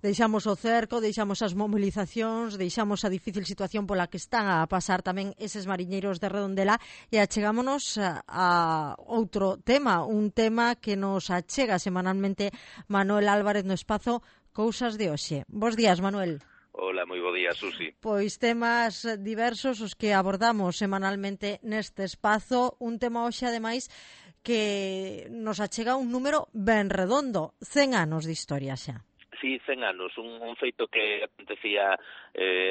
deixamos o cerco, deixamos as mobilizacións, deixamos a difícil situación pola que están a pasar tamén eses mariñeiros de Redondela e achegámonos a outro tema, un tema que nos achega semanalmente Manuel Álvarez no espazo Cousas de Hoxe. Bos días, Manuel. Hola, moi bo día, Susi. Pois temas diversos os que abordamos semanalmente neste espazo, un tema hoxe ademais que nos achega un número ben redondo, 100 anos de historia xa. Sí, 100 anos, un feito que acontecía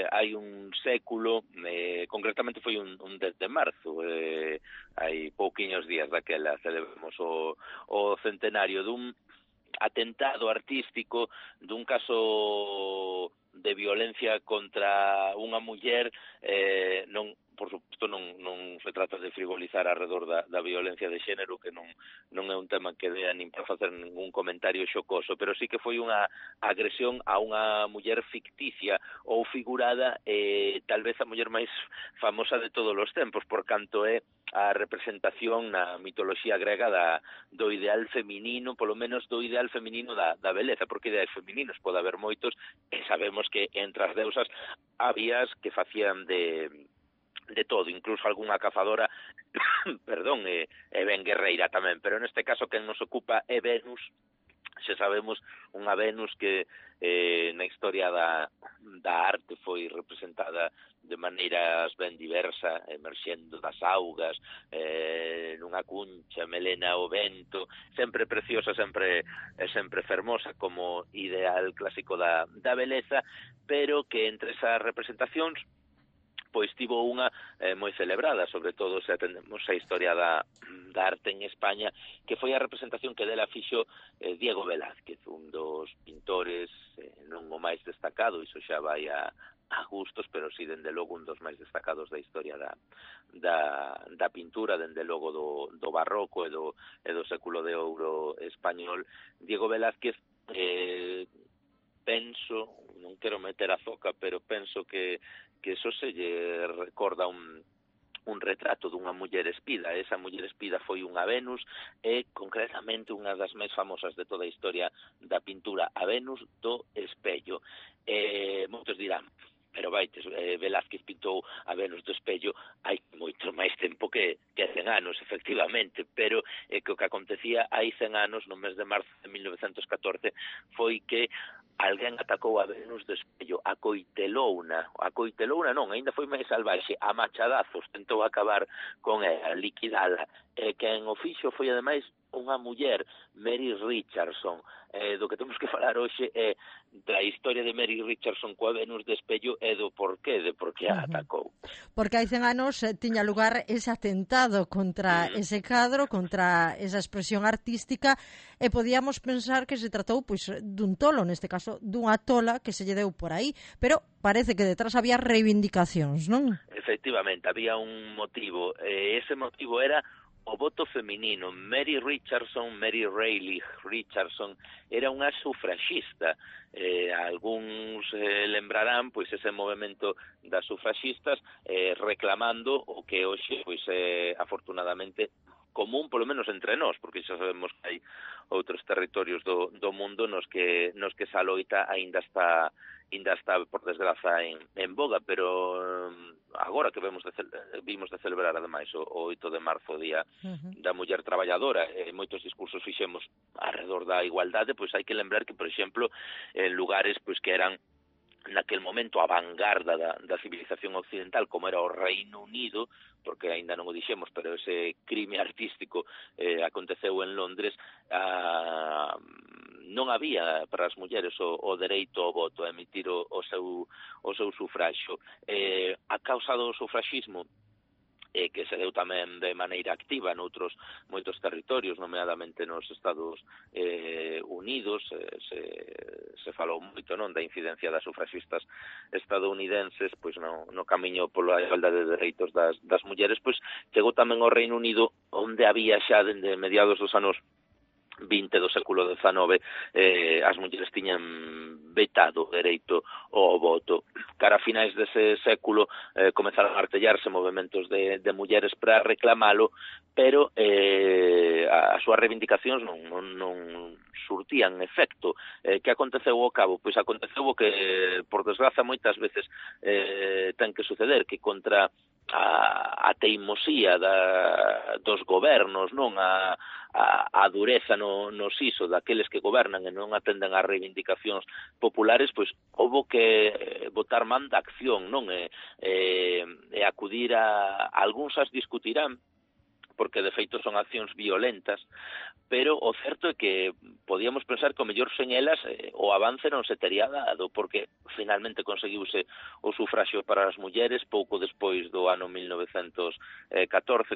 hai un século, concretamente foi un 10 de marzo, hai pouquiños días daquela celebramos o centenario dun atentado artístico, dun caso de violencia contra unha muller, non, por suposto, non se trata de frivolizar alrededor da violencia de xénero, que non é un tema que dea nin para facer ningún comentario xocoso, pero sí que foi unha agresión a unha muller ficticia ou figurada, tal vez a muller máis famosa de todos os tempos, por canto é a representación na mitoloxía grega do ideal feminino, polo menos do ideal feminino da beleza, porque ideais femininos pode haber moitos, e sabemos que entre as deusas habías que facían de todo, incluso algunha cazadora perdón, e ben guerreira tamén, pero neste caso quen nos ocupa é Venus. Xa sabemos, unha Venus que na historia da arte foi representada de maneiras ben diversa, emerxendo das augas, nunha cuncha, melena ao vento, sempre preciosa, sempre fermosa como ideal clásico da beleza, pero que entre esas representacións pois tivo unha moi celebrada, sobre todo se atendemos a historia da arte en España, que foi a representación que dela fixo Diego Velázquez, un dos pintores non o máis destacado, iso xa vai a gustos, pero sí, dende logo, un dos máis destacados da historia da pintura, dende logo do barroco e do século de ouro español. Diego Velázquez, penso, non quero meter a zoca, pero penso que eso se lle recorda un retrato dunha muller espida. Esa muller espida foi unha Venus e concretamente unha das máis famosas de toda a historia da pintura, a Venus do espello. Moitos dirán, pero vaites, Velázquez pintou a Venus do espello hai moito máis tempo que 100 anos, efectivamente, pero que o que acontecía hai 100 anos, no mes de marzo de 1914, foi que alguén atacou a Venus do espello, acoitelouna non, ainda foi máis salvaxe, a machadazos, tentou acabar con ela, liquidala, quen o fixo foi ademais unha muller, Mary Richardson. Do que temos que falar hoxe é da historia de Mary Richardson coa Venus de espello e do porqué, de por que a atacou. Porque hai 100 anos tiña lugar ese atentado contra ese cadro, contra esa expresión artística, e podíamos pensar que se tratou pois dun tolo, neste caso dunha tola que se lle deu por aí, pero parece que detrás había reivindicacións, non? Efectivamente, había un motivo, ese motivo era o voto feminino. Mary Rayleigh Richardson era unha sufraxista. Algúns lembrarán pois ese movimento das sufraxistas reclamando o que hoxe pois afortunadamente común, polo menos entre nós, porque xa sabemos que hai outros territorios do mundo nos que esa loita aínda está por desgraza en boga, pero agora que vimos de celebrar ademais o 8 de marzo, Día da Muller Traballadora, moitos discursos fixemos alrededor da igualdade, pois hai que lembrar que, por exemplo, en lugares pois que eran naquel momento a vanguarda da civilización occidental, como era o Reino Unido, porque aínda non o dixemos, pero ese crime artístico aconteceu en Londres, non había para as mulleres o dereito ao voto, a emitir o seu sufraxo. A causa do sufraxismo, que se deu tamén de maneira activa noutros moitos territorios, nomeadamente nos Estados Unidos, se falou moito, non, da incidencia das sufraxistas estadounidenses pois no camiño pola igualdade de dereitos das mulleres, pois chegou tamén ao Reino Unido, onde había xa dende mediados dos anos 20 do século XIX as mulleres tiñan vetado o dereito ao voto. cara a finais dese século comezaron a artellarse movementos de mulleres para reclamalo, pero as súas reivindicacións non surtían efecto. Que aconteceu ao cabo? Pois aconteceu o que, por desgraza, moitas veces ten que suceder, que contra a teimosía dos gobernos, non a dureza no siso daqueles que gobernan e non atenden ás reivindicacións populares, pois houbo que botar man da acción, non? E acudir a algúns as discutirán, porque de feito son accións violentas, pero o certo é que podíamos pensar que o mellor sen elas o avance non se tería dado, porque finalmente conseguiuse o sufraxio para as mulleres pouco despois do ano 1914,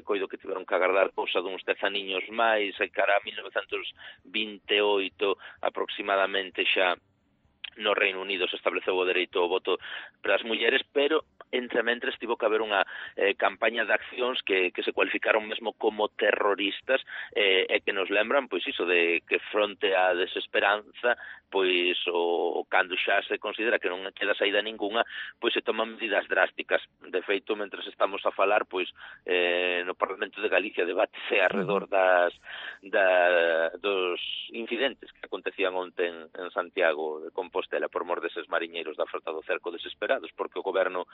coido que tiveron que agardar cousa duns 10 aniños máis, e cara a 1928 aproximadamente xa no Reino Unido se estableceu o dereito ao voto para as mulleres, pero entre mentres tivo que haber unha campaña de accións que se cualificaron mesmo como terroristas e que nos lembran, pois iso, de que fronte á desesperanza, pois o cando xa se considera que non queda saída ninguna, pois se toman medidas drásticas. De feito, mentres estamos a falar, pois no Parlamento de Galicia debátese alrededor dos incidentes que acontecían onte en Santiago de Compostela por mor deses mariñeiros da frota do cerco desesperados, porque o goberno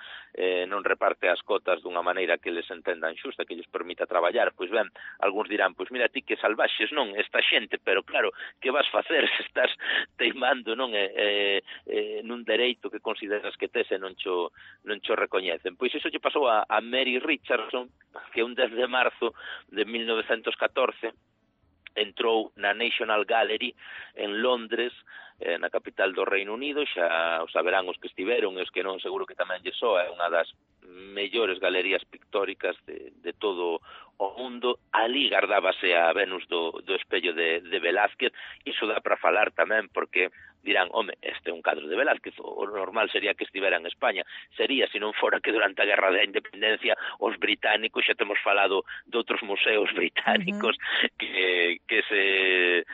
non reparte as cotas dunha maneira que les entendan xusta, que lles permita traballar. Pois ben, algúns dirán, pois mira ti que salvaxes, non, esta xente, pero claro, que vas facer se estás teimando, non, nun dereito que consideras que tes e non cho recoñecen. Pois iso lle pasou a Mary Richardson, que un 10 de marzo de 1914 entrou na National Gallery en Londres, na capital do Reino Unido. Xa o saberán os que estiveron, e os que non seguro que tamén lle soa, é unha das mellores galerías pictóricas de todo o mundo. Ali gardábase a Venus do espello de Velázquez. Iso dá para falar tamén, porque dirán, home, este é un cadro de Velázquez, o normal sería que estivera en España. Sería, se non fora que durante a Guerra da Independencia os británicos, xa temos falado de outros museos británicos que se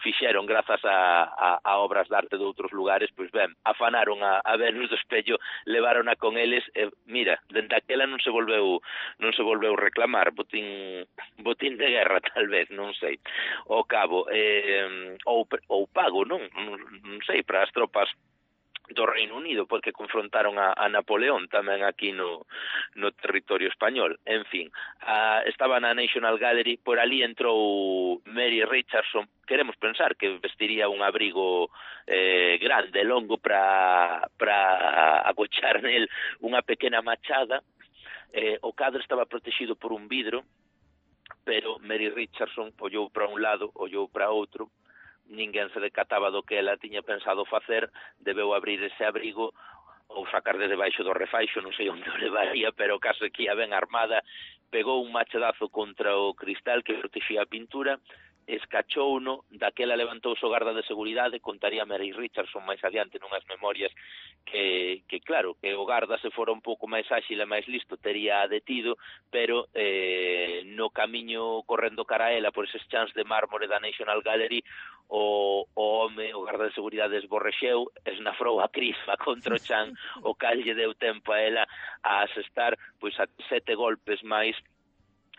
fixeron grazas a obras de arte de outros lugares, pois ben, afanaron a Venus do espello, levarona con eles, e mira, dende aquela non se volveu reclamar, botín de guerra tal vez, non sei. Ao cabo, ou pago, non sei, para as tropas do Reino Unido, porque confrontaron a Napoleón tamén aquí no territorio español. En fin, estaba na National Gallery, por ali entrou Mary Richardson. Queremos pensar que vestiría un abrigo grande, longo, para agochar nel unha pequena machada. O cadro estaba protegido por un vidro, pero Mary Richardson ollou para un lado, ollou para outro, ninguén se decataba do que ela tiña pensado facer, debeu abrir ese abrigo ou sacar de debaixo do refaixo, non sei onde o levaría, pero o caso é que ia ben armada, pegou un machadazo contra o cristal que protexía a pintura, escachouno, daquela levantouse o garda de seguridade, contaría Mary Richardson máis adiante nunhas memorias que claro, que o garda se fora un pouco máis áxil e máis listo tería detido, pero no camiño correndo cara a ela por eses chans de mármore da National Gallery, o home, o garda de seguridade esborrexeu, esnafrou a crisma contra o chan, o cal lle deu tempo a ela a asestar pois a 7 golpes máis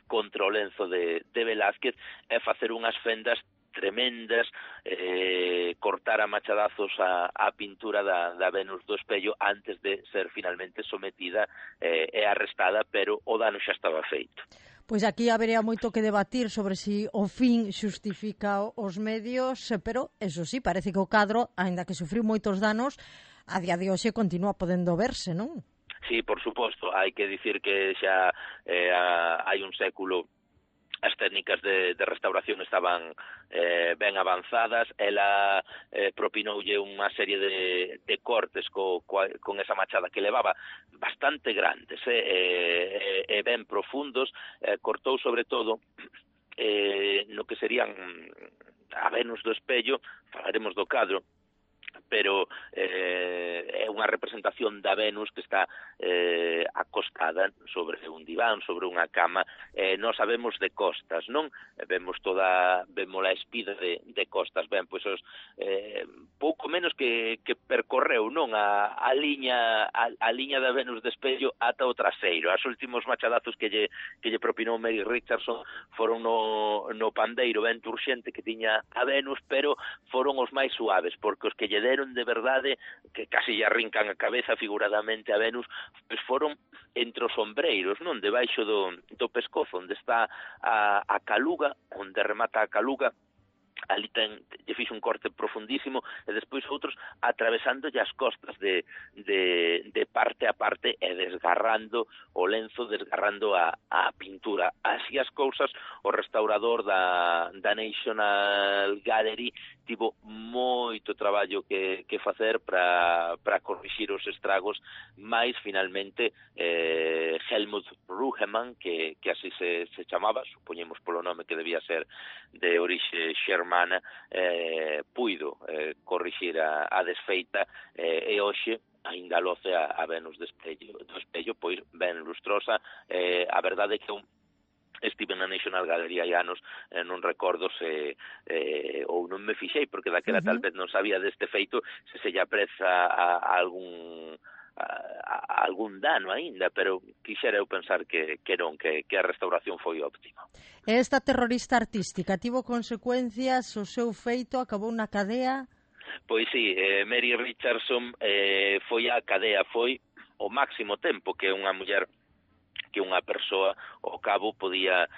contra o lenzo de Velázquez e facer unhas fendas tremendas, cortar a machadazos a pintura da Venus do espello antes de ser finalmente sometida e arrestada, pero o dano xa estaba feito. Pois aquí habería moito que debatir sobre si o fin xustifica os medios, pero eso sí, parece que o cadro, aínda que sufriu moitos danos, a día de hoxe continúa podendo verse, non? Sí, por suposto, hai que dicir que xa hai un século as técnicas de restauración estaban ben avanzadas. Ela propinoulle unha serie de cortes con esa machada que levaba bastante grandes e ben profundos. Cortou sobre todo no que serían a Venus do espello, falaremos do cadro, pero é unha representación da Venus que está acostada sobre un diván, sobre unha cama. Nós sabemos de costas, non? Vemos a espida de costas. Ben, pois pouco menos que percorreu, non, a liña da Venus de espello ata o traseiro. Os últimos machadazos que lle propinou Mary Richardson foron no pandeiro vento urxente que tiña a Venus, pero foron os máis suaves, porque os que lle deron de verdade, que casi lle arrincan a cabeza figuradamente a Venus, pois foron entre os ombreiros, non, debaixo do pescozo, onde está a caluga, onde remata a caluga. Ali lle fixo un corte profundísimo, e despois outros atravesándolle as costas de parte a parte e desgarrando o lenzo, desgarrando a pintura. Así as cousas, o restaurador da National Gallery tivo moito traballo que facer para corrixir os estragos, mais finalmente Helmut Rugemann, que así se chamaba, supoñemos polo nome que debía ser de orixe xermana, puido corrixir a desfeita, e hoxe aínda loce a Venus do espello, pois ben lustrosa. A verdade é que estive na National Gallery hai anos, non recordo se ou non me fixei, porque daquela tal vez non sabía deste feito, se lle apreza a algún dano aínda, pero quixera eu pensar que non, que a restauración foi óptima. Esta terrorista artística tivo consecuencias, o seu feito acabou na cadea? Pois sí, Mary Richardson foi á cadea, foi o máximo tempo que unha muller, que unha persoa ao cabo podía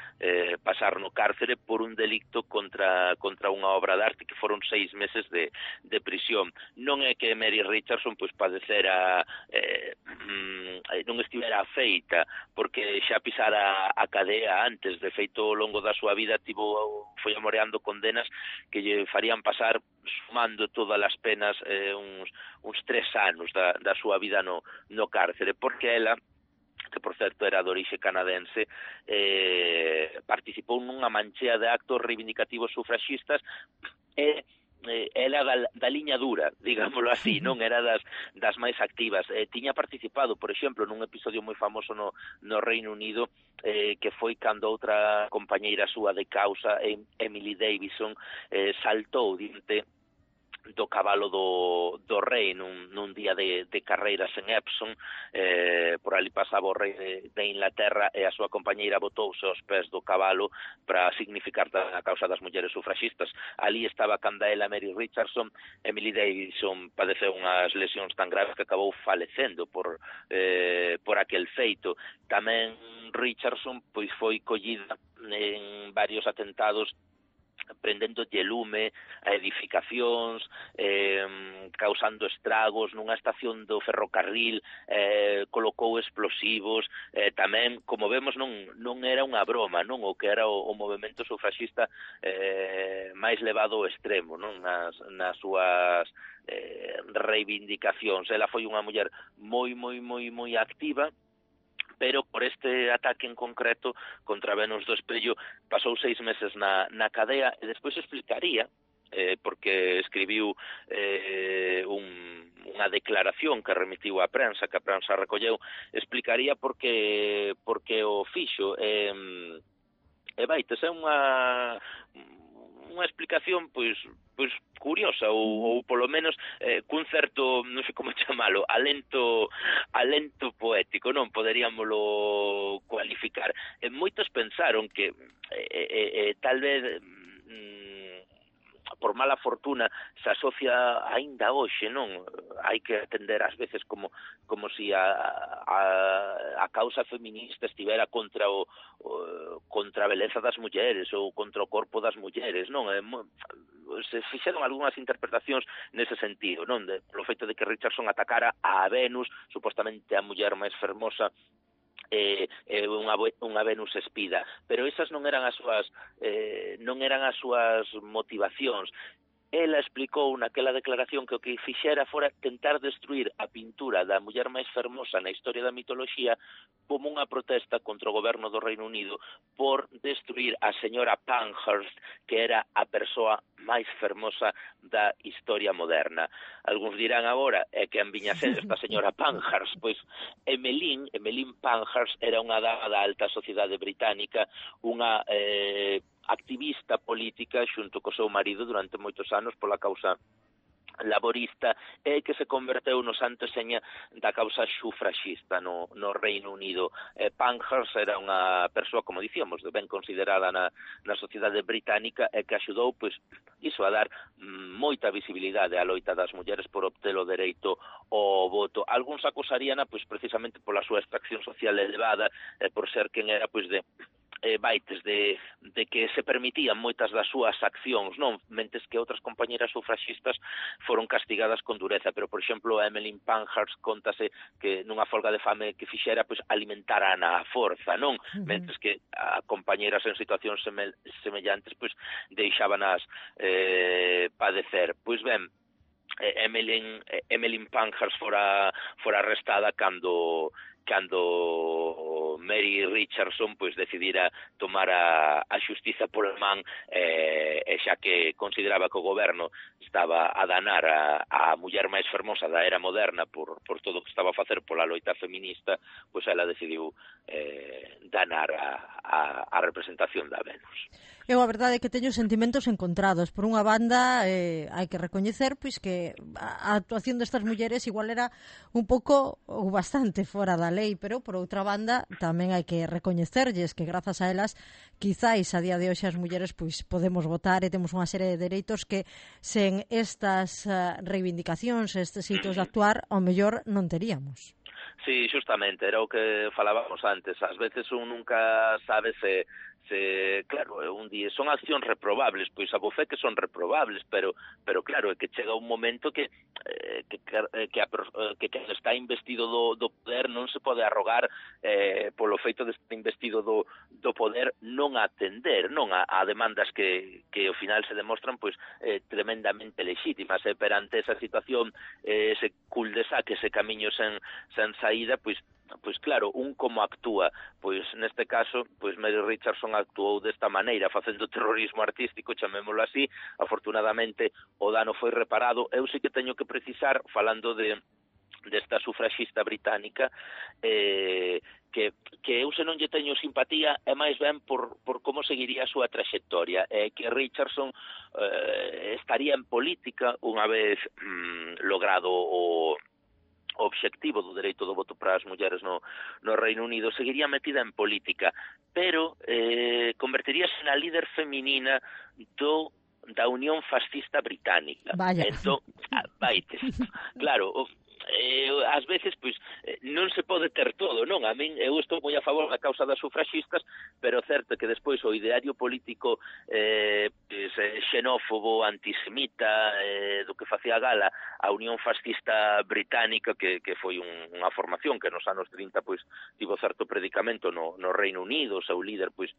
pasar no cárcere por un delicto contra unha obra de arte, que foron 6 meses de prisión. Non é que Mary Richardson pois padecera, non estivera afeita, porque xa pisara a cadea antes. De feito, ao longo da súa vida foi amoreando condenas que lle farían pasar, sumando todas as penas, uns 3 anos da súa vida no cárcere, porque ela, que por certo era de orixe canadense, participou nunha manchea de actos reivindicativos sufraxistas, e ela da liña dura, digámoslo así, non era das máis activas. Tiña participado, por exemplo, nun episodio moi famoso no Reino Unido, que foi cando outra compañeira súa de causa, Emily Davison, saltou diante do cabalo do rei nun día de carreiras en Epsom. Por ali pasaba o rei de Inglaterra, e a súa compañeira botouse aos pés do cabalo para significar a causa das mulleres sufraxistas. Ali estaba Candaela Mary Richardson. Emily Davison padeceu unhas lesións tan graves que acabou falecendo por aquel feito. Tamén Richardson pois foi collida en varios atentados, prendendo lume a edificacións, causando estragos nunha estación do ferrocarril, colocou explosivos. Tamén, como vemos, non era unha broma, non, o que era o movemento sufraxista máis levado ao extremo, non, nas súas reivindicacións. Ela foi unha muller moi activa, pero por este ataque en concreto contra Venus do espello pasou 6 meses na cadea, e despois explicaría, porque escribiu unha declaración que remitiu á prensa, que a prensa recolleu, explicaría por que o fixo. E vaites, é unha explicación pois curiosa, ou polo menos cun certo, non sei como chamalo, alento poético, non poderíamolo cualificar. Moitos pensaron que tal vez por mala fortuna se asocia aínda hoxe, non? Hai que atender ás veces como si a causa feminista estivera contra a beleza das mulleres ou contra o corpo das mulleres, non? Se fixeron algunhas interpretacións nese sentido, non? Polo feito de que Richardson atacara a Venus, supostamente a muller máis fermosa, unha Venus espida, pero esas non eran as súas motivacións. ela explicou naquela declaración que o que fixera fora tentar destruir a pintura da muller máis fermosa na historia da mitoloxía como unha protesta contra o goberno do Reino Unido por destruir a señora Pankhurst, que era a persoa máis fermosa da historia moderna. Algúns dirán agora que en viña ser esta señora Pankhurst, pois Emmeline Pankhurst era unha dama da alta sociedade británica, unha activista política xunto co seu marido durante moitos anos pola causa laborista e que se converteu no santo seña da causa sufraxista no Reino Unido. Pankhurst era unha persoa, como dicíamos, ben considerada na sociedade británica e que axudou, pois, iso a dar moita visibilidade á loita das mulleres por obter o dereito ao voto. Algúns acusaríana, pois, precisamente pola súa extracción social elevada, por ser quen era, pois, de baites de que se permitían moitas das súas accións, non, mentes que outras compañeras sufraxistas foron castigadas con dureza, pero, por exemplo, a Emmeline Pankhurst contase que nunha folga de fame que fixera, pois, alimentara na forza, non? Mentes que a compañeras en situacións semellantes, pois, deixábanas padecer. Pois ben, Emmeline Pankhurst fora arrestada cando Mary Richardson pois decidira tomar a xustiza por man, e xa que consideraba que o goberno estaba a danar a muller máis fermosa da era moderna por todo o que estaba a facer pola loita feminista, pois ela decidiu danar a representación da Venus. Eu a verdade é que teño sentimentos encontrados. Por unha banda, hai que recoñecer pois que a actuación destas mulleres igual era un pouco ou bastante fora da lei, pero por outra banda tamén hai que recoñecerlles que grazas a elas quizáis a día de hoxe as mulleres pois podemos votar e temos unha serie de dereitos que sen estas reivindicacións, estes hitos de actuar, ao mellor non teríamos. Sí, justamente, era o que falábamos antes. Ás veces un nunca sabe se claro, un día son accións reprobables, pois a bofé que son reprobables, pero claro, é que chega un momento que cando está investido do poder non se pode arrogar polo feito de estar investido do poder non atender, non a demandas que ao final se demostran pois tremendamente lexítimas, perante esa situación, ese cul-de-sac, ese camiño sen saída, pois claro, un como actúa, pois neste caso, pois Mary Richardson actuou desta maneira, facendo terrorismo artístico, chamémolo así. Afortunadamente o dano foi reparado. Eu sí que teño que precisar, falando desta sufraxista británica, que eu se non lle teño simpatía é máis ben por como seguiría a súa traxectoria, que Richardson estaría en política unha vez logrado o obxectivo do dereito do voto para as mulleres no Reino Unido, seguiría metida en política, pero converteríase na líder feminina da Unión Fascista Británica. Vaya. Entón, claro, ás veces pois non se pode ter todo, non? A min eu estou moi a favor da causa das sufraxistas, pero certo que despois o ideario político xenófobo, antisemita, do que facía gala a Unión Fascista Británica, que foi unha formación que nos anos 30 pois tivo certo predicamento no Reino Unido. O seu líder pois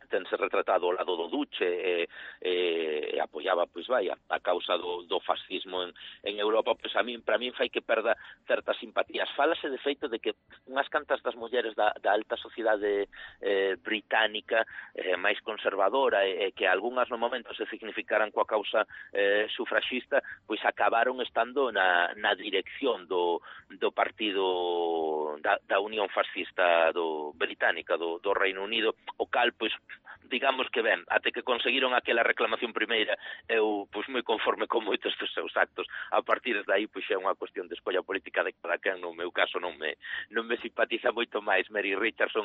tense retratado ao lado do Duce e apoiaba pois a causa do fascismo en Europa. Pois para min fai que perda certas simpatías. Fálase de feito de que unhas cantas das mulleres da alta sociedade británica máis conservadora e que algunhas no momento se significaran coa causa sufraxista, pois acabaron estando na dirección do partido da Unión Fascista británica do Reino Unido, o cal pois digamos que ben, até que conseguiron aquela reclamación primeira, eu pois moi conforme con moitos dos seus actos. A partir de aí pois é unha cuestión de escolla política de cada quen. No meu caso non me simpatiza moito máis Mary Richardson,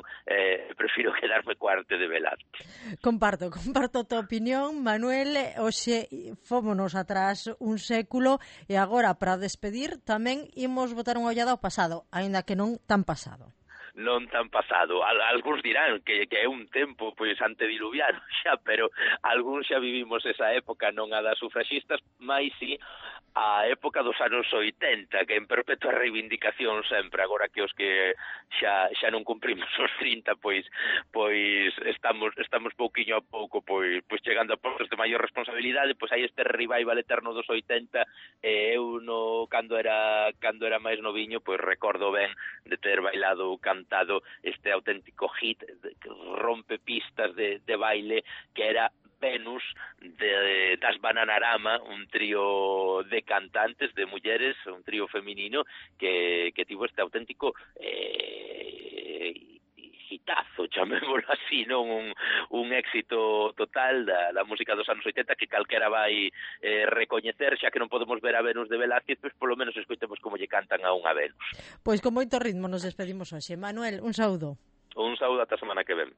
prefiro quedarme coa arte de Velázquez. Comparto a tua opinión, Manuel. Hoxe fómonos atrás un século e agora para despedir tamén imos botar unha ollada ao pasado, aínda que non tan pasado. Non tan pasado. Algúns dirán que é un tempo pois antediluviano xa, pero algúns xa vivimos esa época, non a das sufraxistas, mais si a época dos anos 80, que en perpetua reivindicación sempre, agora que os que xa non cumprimos os 30, pois estamos pouquiño a pouco pois chegando a postos de maior responsabilidade, pois hai este revival eterno dos 80, eu cando era máis noviño, pois recordo ben de ter bailado ou cantado este auténtico hit que rompe pistas de baile, que era Venus das Bananarama, un trío de cantantes, de mulleres, un trío feminino que tivo este auténtico hitazo, chamémolo así, non un éxito total da música dos anos 80 que calquera vai recoñecer, xa que non podemos ver a Venus de Velázquez, pois polo menos escoitemos como lle cantan a unha Venus. Pois con moito ritmo nos despedimos hoxe. Manuel, un saúdo. Un saúdo ata a semana que ven.